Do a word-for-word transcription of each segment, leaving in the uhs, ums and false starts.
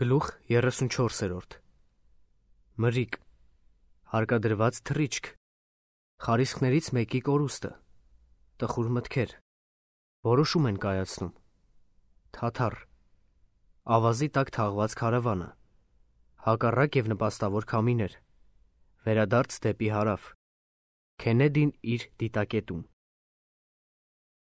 Գլուխ երեսունչորսերորդ Մրիկ Հարկադրված թռիչք Խարիսխներից մեկի կորուստը Տխուր մտքեր Որոշում են կայացնում Թաթար Ավազի տակ թաղված քարավանը Հակառակ և նպաստավոր քամիներ Վերադարձ դեպի հարավ Քենեդին իր դիտակետում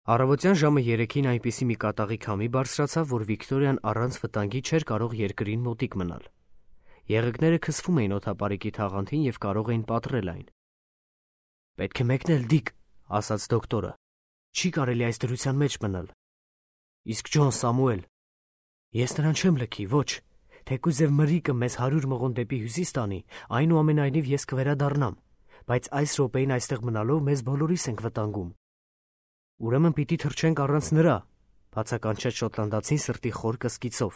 Առավոտյան ժամը երեքին այնպիսի մի կատաղի քամի բարձրացավ, որ Վիկտորիան առանց վտանգի չէր կարող երկրին մոտիկ մնալ։ Եղեգները քսվում էին օդապարիկի թաղանթին և կարող էին պատռել այն։ «Պետք է մեկնել, Դիկ», ասաց դոկտորը։ «Չի կարելի այս դրության մեջ մնալ»։ «Իսկ Ջոն Սամուել»։ «Ես նրան չեմ լքի, ոչ։ Թեկուզ և մրրիկը մեզ հարյուր մղոն դեպի հյուսիս տանի, այնուամենայնիվ ես կվերադառնամ, բայց այս րոպեին այստեղ մնալով մեզ բոլորիս ենք վտանգում»։ «Ուրեմն պիտի թռչենք առանց նրա», բացականչեց շոտլանդացին սրտի խոր կսկիծով։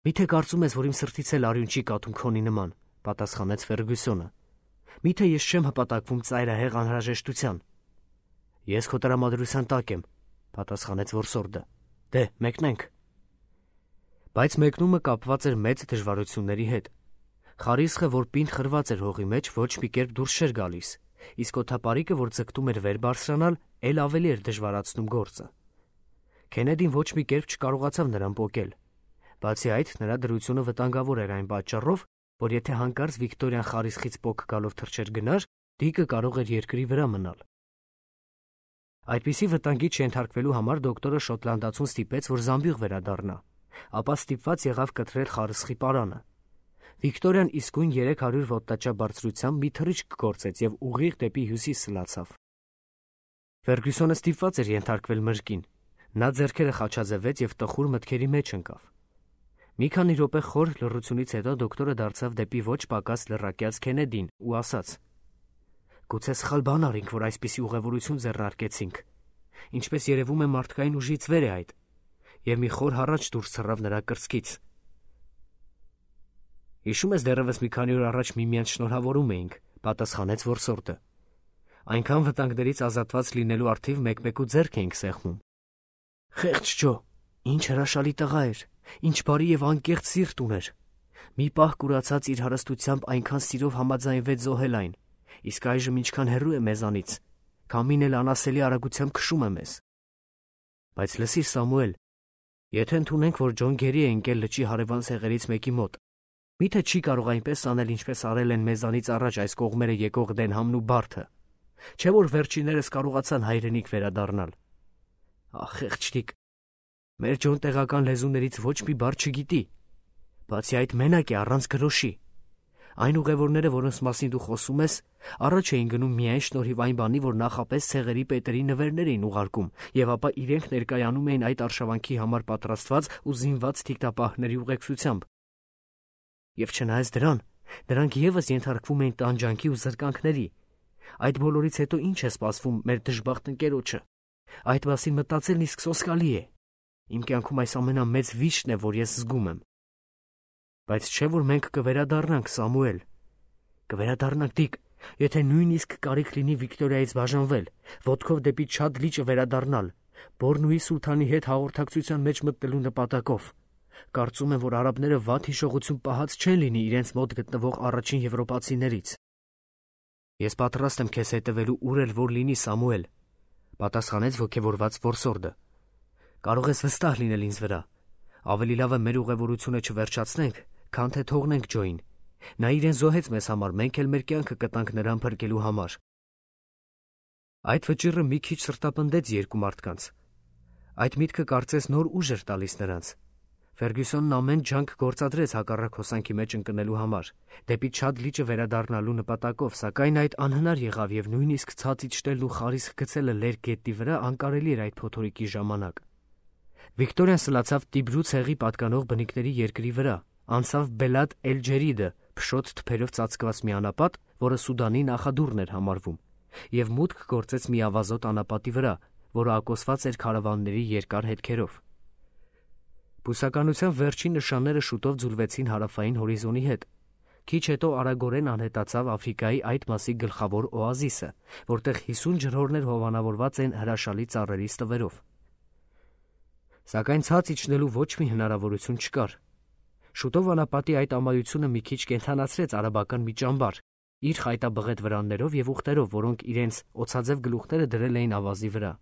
«Միթե կարծում ես, որ իմ սրտից էլ արյուն չի կաթում քոնի նման», պատասխանեց Ֆերգյուսոնը։ «Միթե ես չեմ հպատակվում ծայրահեղ անհրաժեշտության»։ «Ես քո տրամադրության տակ եմ», պատասխանեց որսորդը։ «Դե, մեկնենք»։ Բայց մեկնումը կապված էր մեծ դժվարությունների հետ։ Խարիսխը, որ պինդ խրված էր հողի մեջ, ոչ մի կերպ դուրս չէր գալիս, իսկ օդապարիկը, որ ձգտում էր վեր բարձրանալ, էլ ավելի էր դժվարացնում գործը։ Քենեդին ոչ մի կերպ չկարողացավ նրան պոկել։ Բացի այդ, նրա դրությունը վտանգավոր էր այն պատճառով, որ եթե հանկարծ Վիկտորիան խարիսխից պոկ գալով թռչեր գնար, Դիկը կարող էր երկրի վրա մնալ։ Այդպիսի վտանգի չենթարկվելու համար դոկտորը շոտլանդացուն ստիպեց, որ զամբյուղ վերադառնա, ապա ստիպված եղավ կտրել խարիսխի պարանը։ Վիկտորիան իսկույն երեք հարյուր ոտնաչափ բարձրությամբ մի թռիչք գործեց և ուղիղ դեպի հյուսիս սլացավ։ Ֆերգյուսոնը ստիպված էր ենթարկվել մրրկին։ Նա ձեռքերը խաչաձևեց և տխուր մտքերի մեջ ընկավ։ Մի քանի րոպե խոր լռությունից հետո դոկտորը դարձավ դեպի ոչ պակաս լռակյաց Քենեդին ու ասաց. «Գուցե սխալ բան արինք, որ այսպիսի ուղևորություն ձեռնարկեցինք։ Ինչպես երևում է, մարդկային ուժից վեր է այդ»։ Եվ մի խոր հառաչ դուրս թռավ նրա կրծքից։ «Հիշում ես, դեռևս մի քանի օր առաջ միմյանց շնորհավորում էինք», պատասխանեց որսորդը։ «Այնքան վտանգներից ազատված լինելու առթիվ մեկ-մեկու ձեռք էինք սեղմում»։ «Խեղճ Ջո, ինչ հրաշալի տղա էր, ինչ բարի և անկեղծ սիրտ ուներ։ Մի պահ կուրացած իր հարստությամբ այնքան սիրով համաձայնվեց զոհել այն, իսկ այժմ ինչքան հեռու է մեզանից, քամին էլ անասելի արագությամբ քշում է մեզ։ Բայց լսիր, Սամուել, եթե ընդունենք, որ Ջոն գերի է ընկել լճի հարևան ցեղերից մեկի մոտ, միթե չի կարող այնպես անել, ինչպես արել են մեզանից առաջ այս կողմերը եկող Դենհամն ու Բարթը։ Չէ՞ որ վերջիններս կարողացան հայրենիք վերադառնալ։ Ախ, խեղճ Դիկ, մեր Ջոն տեղական լեզուներից ոչ մի բառ չգիտի։ Բացի այդ, մենակ է, առանց գրոշի։ Այն ուղևորները, որոնց մասին դու խոսում ես, առաջ էին գնում միայն շնորհիվ այն բանի, որ նախապես ցեղերի պետերի նվերներ էին ուղարկում, և ապա իրենք ներկայանում էին այդ արշավանքի համար պատրաստված ու զինված թիկնապահների ուղեկցությամբ։ Եվ չնայած դրան, նրանք ևս ենթարկվում էին տանջանքի ու զրկանքների։ Այդ բոլորից հետո ինչ է սպասվում մեր դժբախտ ընկերոջը։ Այդ մասին մտածելն իսկ սոսկալի է։ Իմ կյանքում այս ամենամեծ վիշտն է, որ ես զգում եմ։ Բայց չէ՞ որ մենք կվերադառնանք, Սամուել։ Կվերադառնանք, Դիկ, եթե նույնիսկ կարիք լինի Վիկտորիայից բաժանվել, ոտքով դեպի Չադ լիճը վերադառնալ, Բորնուի սուլթանի հետ հաղորդակցության մեջ մտնելու նպատակով։ Կարծում եմ, որ արաբները վատ հիշողություն պահած չեն լինի իրենց մոտ գտնվող առաջին եվրոպացիներից։ Ես պատրաստ եմ քեզ հետևելու ուր էլ որ լինի, Սամուել, պատասխանեց ոգևորված որսորդը։ Կարող ես վստահ լինել ինձ վրա։ Ավելի լավ է մեր ուղևորությունը չվերջացնենք, քան թե թողնենք Ջոյին։ Նա իրեն զոհեց մեզ համար, մենք էլ մեր կյանքը կտանք նրան փրկելու համար։ Այդ վճիռը մի քիչ սրտապնդեց երկու մարդկանց։ Այդ միտքը կարծես նոր ուժ էր տալիս նրանց։ Ֆերգյուսոնն ամեն ջանք գործադրեց հակառակ հոսանքի մեջ ընկնելու համար, դեպի Չադ լիճը վերադառնալու նպատակով, սակայն այդ անհնար եղավ և նույնիսկ ցած իջնելն ու խարիսխ գցելը լերկ գետնի վրա անկարելի էր այդ փոթորիկի ժամանակ։ Վիկտորիան սլացավ Տիբրու ցեղի պատկանող բնիկների երկրի վրա, անցավ Բելադ Էլ-Ջերիդը, փշոտ թփերով ծածկված մի անապատ, որը Սուդանի նախադուռն էր համարվում, և մուտք գործեց մի ավազոտ անապատի վրա, որը ակոսված էր քարավանների երկար հետքերով։ Բուսականության վերջին նշանները շուտով ձուլվեցին հարավային հորիզոնի հետ։ Քիչ հետո արագորեն անհետացավ Աֆրիկայի այդ մասի գլխավոր օազիսը, որտեղ հիսուն ջրհորներ հովանավորված են հրաշալի ծառերի ստվերով։ Սակայն ցած իջնելու ոչ մի հնարավորություն չկար։ Շուտով անապատի այդ ամայությունը մի քիչ կենդանացրեց արաբական մի ճամբար, իր խայտաբղետ վրաններով եւ ուղտերով, որոնք իրենց օծաձև գլուխները դրել էին ավազի վրա։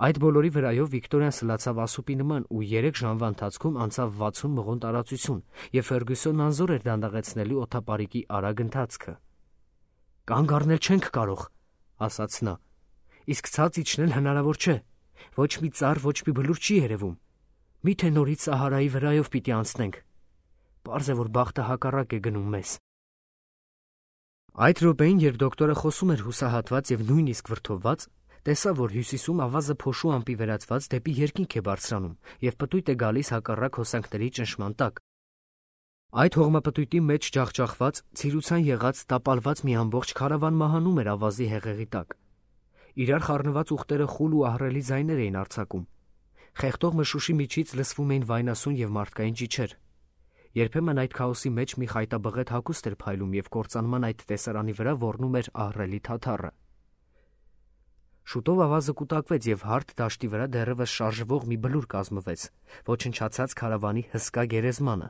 Այդ բոլորի վրայով Վիկտորիան սլացավ ասուպի նման ու երեք ժամվա ընթացքում անցավ վաթսուն մղոն տարածություն, եւ Ֆերգյուսոնն անզոր էր դանդաղեցնելու օդապարիկի արագ ընթացքը։ «Կանգ առնել չենք կարող», ասաց նա, «իսկ ցած իջնել հնարավոր չէ։ Ոչ մի ծառ, ոչ մի բլուր չի երևում։ Միթե նորից Սահարայի վրայով պիտի անցնենք։ Պարզ է, որ բախտը հակառակ է գնում մեզ»։ Այդ րոպեին, երբ դոկտորը խոսում էր հուսահատված եւ նույնիսկ վրդովված, տեսավ, որ հյուսիսում ավազը փոշու ամպի վերածված դեպի երկինք է բարձրանում եւ պտույտ է գալիս հակառակ հոսանքների ճնշման տակ։ Այդ հողմապտույտի մեջ ջախջախված, ցիրուցան եղած, տապալված մի ամբողջ քարավան մահանում էր ավազի հեղեղի տակ։ Իրար խառնված ուղտերը խուլ ու ահռելի ձայներ էին արձակում։ Խեղդող մշուշի միջից լսվում էին վայնասուն եւ մարդկային ճիչեր։ Երբեմն այդ քաոսի մեջ մի խայտաբղետ հագուստ էր փայլում եւ կործանման այդ տեսարանի վրա ոռնում էր ահռելի թաթառը։ Շուտով ավազը կուտակվեց եւ հարթ դաշտի վրա դեռևս շարժվող մի բլուր կազմվեց, ոչնչացած քարավանի հսկա գերեզմանը։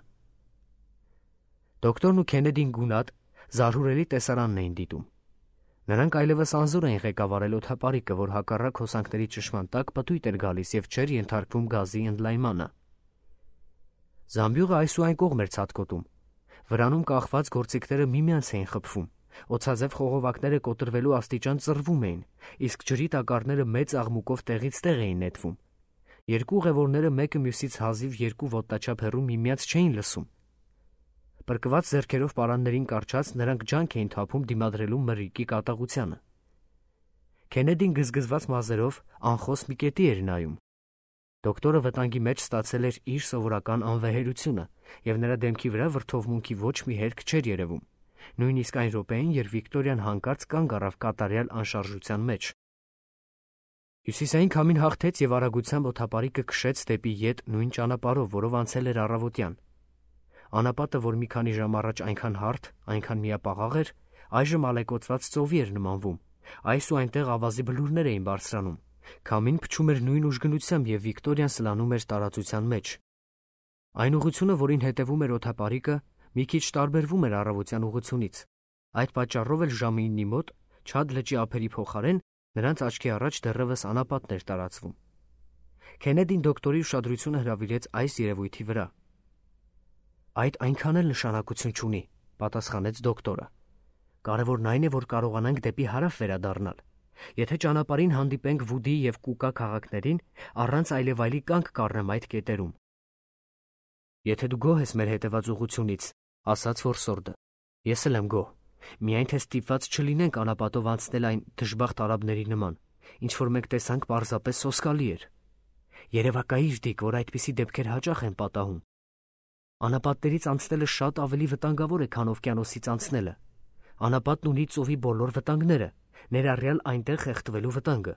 Դոկտորն ու Քենեդին գունատ, զարհուրելի տեսարանն էին դիտում։ Նրանք այլևս անզոր էին ղեկավարել օդապարիկը, որ հակառակ հոսանքների ճնշման տակ պտույտ էր գալիս եւ չէր ենթարկվում գազի ընդլայնմանը։ Զամբյուղը այս ու այն կողմ էր ցատկոտում։ Վրանում կախված գործիքները միմյանց էին խփվում, օծաձև խողովակները կոտրվելու աստիճան ծռվում էին, իսկ ջրի տակառները մեծ աղմուկով տեղից տեղ էին նետվում։ Երկու ուղևորները մեկը մյուսից հազիվ երկու ոտնաչափ հեռու միմյանց չէին լսում։ Պրկված ձեռքերով պարաններին կարճած նրանք ջանք էին թափում դիմադրելու մրրիկի կատաղությանը։ Քենեդին գզգզված մազերով անխոս մի կետի էր նայում։ Դոկտորը վտանգի մեջ ստացել էր իր սովորական անվեհերությունը, եւ նրա դեմքի վրա վրդովմունքի ոչ մի հերք չէր երևում, նույնիսկ այն րոպեին, երբ Վիկտորիան հանկարծ կանգ առավ կատարյալ անշարժության մեջ։ Հյուսիսային քամին հաղթեց եւ արագությամբ օդապարիկը քշեց դեպի ետ նույն ճանապարհով, որով անցել էր առավոտյան։ Անապատը, որ մի քանի ժամ առաջ այնքան հարթ, այնքան միապաղաղ էր, այժմ ալեկոծված ծովի էր նմանվում։ Այս ու այնտեղ ավազի բլուրներ էին բարձրանում։ Քամին փչում էր նույն ուժգնությամբ եւ Վիկտորիան սլանում էր տարածության մեջ։ Այն ուղղությունը, որին հետևում էր օդապարիկը, մի քիչ տարբերվում էր առավոտյան ուղղությունից։ Այդ պատճառով էլ ժամը իննի մոտ, Չադ լճի ափերի փոխարեն, նրանց աչքի առաջ դեռևս անապատն էր տարածվում։ Քենեդին դոկտորի ուշադրությունը հրավիրեց այս երևույթի վրա։ «Այդ այնքան էլ նշանակություն չունի», պատասխանեց դոկտորը։ «Կարևորն այն է, որ կարողանանք դեպի հարավ վերադառնալ։ Եթե ճանապարհին հանդիպենք Վուդի եւ Կուկա քաղաքներին, առանց այլևայլի կանգ կառնեմ այդ կետերում»։ «Եթե դու գոհ ես մեր հետևած ուղղությունից», ասաց որսորդը, «ես էլ եմ գոհ։ Միայն թե ստիպված չլինենք անապատով անցնել այն դժբախտ արաբների նման, ինչ որ մենք տեսանք պարզապես սոսկալի էր։ Երևակայիր դիք, որ այդպիսի դեպքեր հաճախ են պատահում։ Անապատներից անցնելը շատ ավելի վտանգավոր է, քան օվկիանոսից անցնելը։ Անապատն ունի ծովի բոլոր վտանգները, ներառյալ այնտեղ խեղդվելու վտանգը։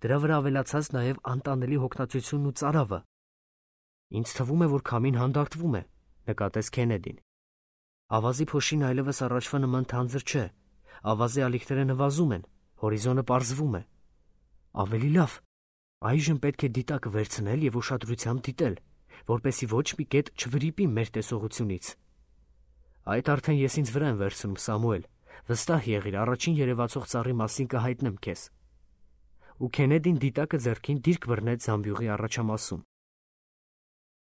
Դրա վրա ավելացած նաև անտանելի հոգնածությունն ու ծարավը»։ «Ինձ թվում է, որ քամին հանդարտվում է», նկատեց Քենեդին։ «Ավազի փոշին այլևս առաջվա նման թանձր չէ։ Ավազի ալիքները նվազում են, հորիզոնը պարզվում է։ Ավելի լավ, այժմ պետք է դիտակը վերցնել եւ ուշադրությամբ դիտել, որպեսզի ոչ մի կետ չվրիպի մեր տեսողությունից»։ «Այդ արդեն ես ինձ վրա եմ վերցնում, Սամուել, վստահ եղիր, առաջին երևացող ծառի մասին կհայտնեմ քեզ»։ Ու Քենեդին դիտակը ձեռքին դիրք բռնեց զամբյուղի առաջամասում։